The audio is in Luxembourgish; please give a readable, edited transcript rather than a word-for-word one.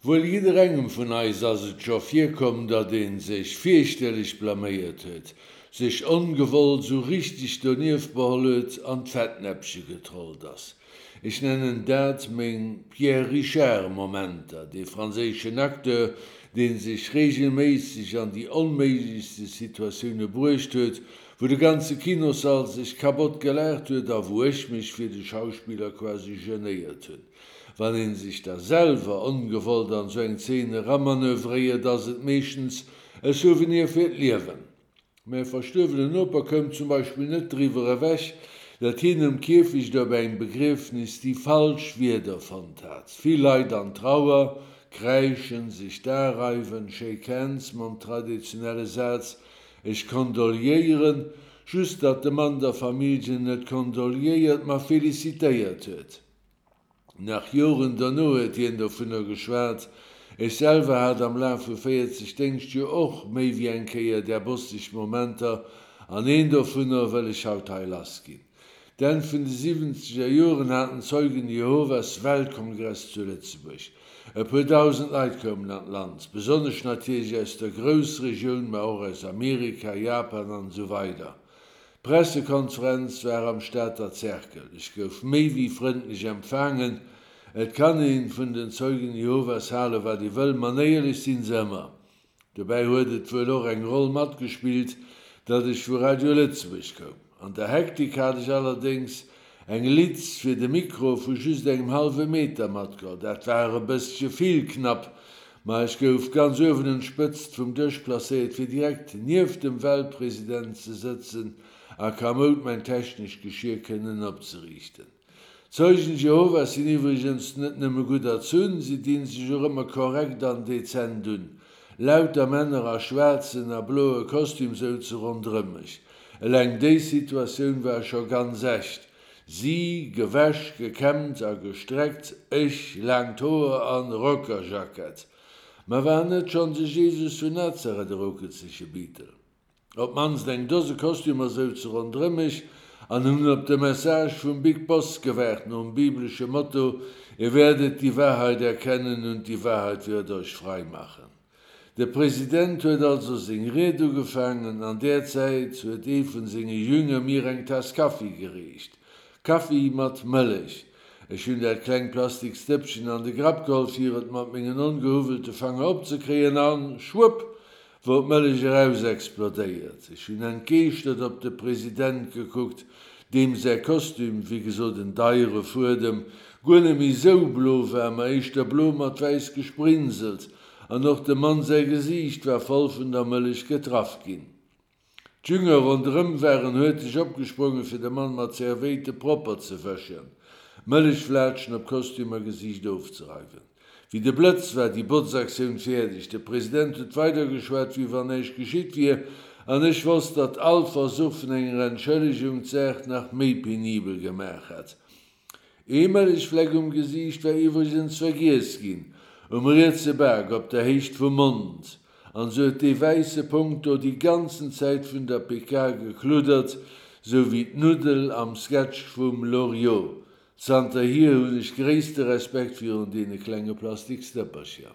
Wuel jidderengem vun eis ass et scho virkomm, datt ee sech fierchterlech blaméiert huet, sech ongewollt sou richteg donieft beholl huet, an d'Fettnäppche getrollt ass. Ech nennen dat meng Pierre Richard Momenter, dee franséischen Acteur, dee sech reegelméisseg an déi onméiglechste Situatioune bruecht huet, wou de ganze Kinossall sech kabott gelaacht huet a wou ech mech fir de Schauspiller quasi genéiert hunn. Wann een sech da selwer ongewollt an sou eng Zeen eramanövréiert, ass et meeschtens e Souvenir fir d'Liewen. Mäi verstuerwenen Noper koum zum Beispill net driwwer ewech, datt hien um Kierfecht op engem Begriefnis déi falsch Wierder fonnt hat. Vill Leit an Trauer, kräischen, sech d'Ae reiwen, shake hands mam traditionelle Saz Ech kondoliéieren, just datt de Mann der Familljen net kondoliéiert, ma felicitéiert huet. Nach Joren dono huet hien dovunner geschwat. Ech selwer hat am Laf vu 40 Déngschtjoer och méi wéi eng Kéier där bosseg Momenter, an een dovunner wëll ech haut hei lassginn. D'Enn vun de siwwenzeger Joren haten d'Zeugen Jehovas Weltkongress zu Lëtzebuerg. E puer dausend Leit koumen an d'Land, besonnesch natierlech aus der Groussregioun, ma och aus Amerika, Japan an esou weider. D'Pressekonferenz war am Stater Cercle. Ech gouf méi wéi frëndlech empfaangen. Et kann een vun den Zeugen Jehovas hale wat ee wëll, manéierlech sinn se ëmmer. Dobäi huet et wuel och eng Roll matgespillt, datt ech vu Radio Lëtzebuerg koum. An der Hektik hat ech allerdéngs eng Litz fir de Mikro vu just engem hallwe Meter matgeholl. Dat war e bëssche vill knapp, ma ech gouf ganz uewen un d'Spëtzt vum Dësch placéiert, fir direkt nieft dem Weltpresident ze sëtzen a kamoud mäin technescht Geschier kënnen opzeriichten. D'Zeugen Jehovas sinn iwwregens net nëmme gutt erzunn, si dinn sech och ëmmer korrekt an dezent un. Lauter Männer a schwaarzen a bloe Kostüm souze ronderëm mech. Eleng déi Situatioun war scho ganz echt. Si, gewäsch, gekämmt a gestreckt, ech, laangt Hoer an Rockerjackett. Ma war net schonn de Jesus vun Nazareth e roukelzege Beatle? Op d'mannst eng Dose Kostümer souze ronderëm mech an hunn op de Message vum Big Boss gewaart, nom biblesche Motto, Ihr werdet die Wahrheit erkennen und die Wahrheit wird euch frei machen. De President huet also seng Ried ugefaangen. An där Zäit huet ee vun senge Jünger mir eng Taass Kaffi gereecht. Kaffi mat Mëllech. Ech hunn dat klengt plastiks Dëppchen an de Grapp geholl fir et mat mengen ongehuwwelte Fanger opzekréien an, schwupp, wor d'Mëllech erausexplodéiert. Ech hunn entgeeschtert op de President gekuckt, deem säi Kostüm, wéi gesot en deiere Fuedem, guer net méi sou blo war, ma éischter blo mat wäiss gesprinselt. An och dem Mann säi Gesiicht war voll vun der Mëllech getraff ginn. D'Jünger ronderëm waren huerteg opgesprongen, fir de Mann mat Zervéite propper ze wëschen, d'Mëllechflaatschen op Kostüm a Gesiicht ofzereiwen. Wéi de Blëtz war déi Botzaktioun fäerdeg. De President huet weidergeschwat, wéi wann näischt geschitt wier, an ech wosst, datt all Versuch vun enger Entschëllegung d'Saach nach méi penibel gemaach hätt. Ee Mëllechfleck um Gesiicht war iwwregens vergiess ginn, um rietse Bak, op der Héicht vum Mond. An sou huet dee wäisse Punkt do déi ganzen Zäit vun der PK gekluddert, sou wéi d'Nuddel am Sketch vum Loriot. Zanterhier hunn ech gréisste Respekt virun deene klenge Plastiksdëppercher.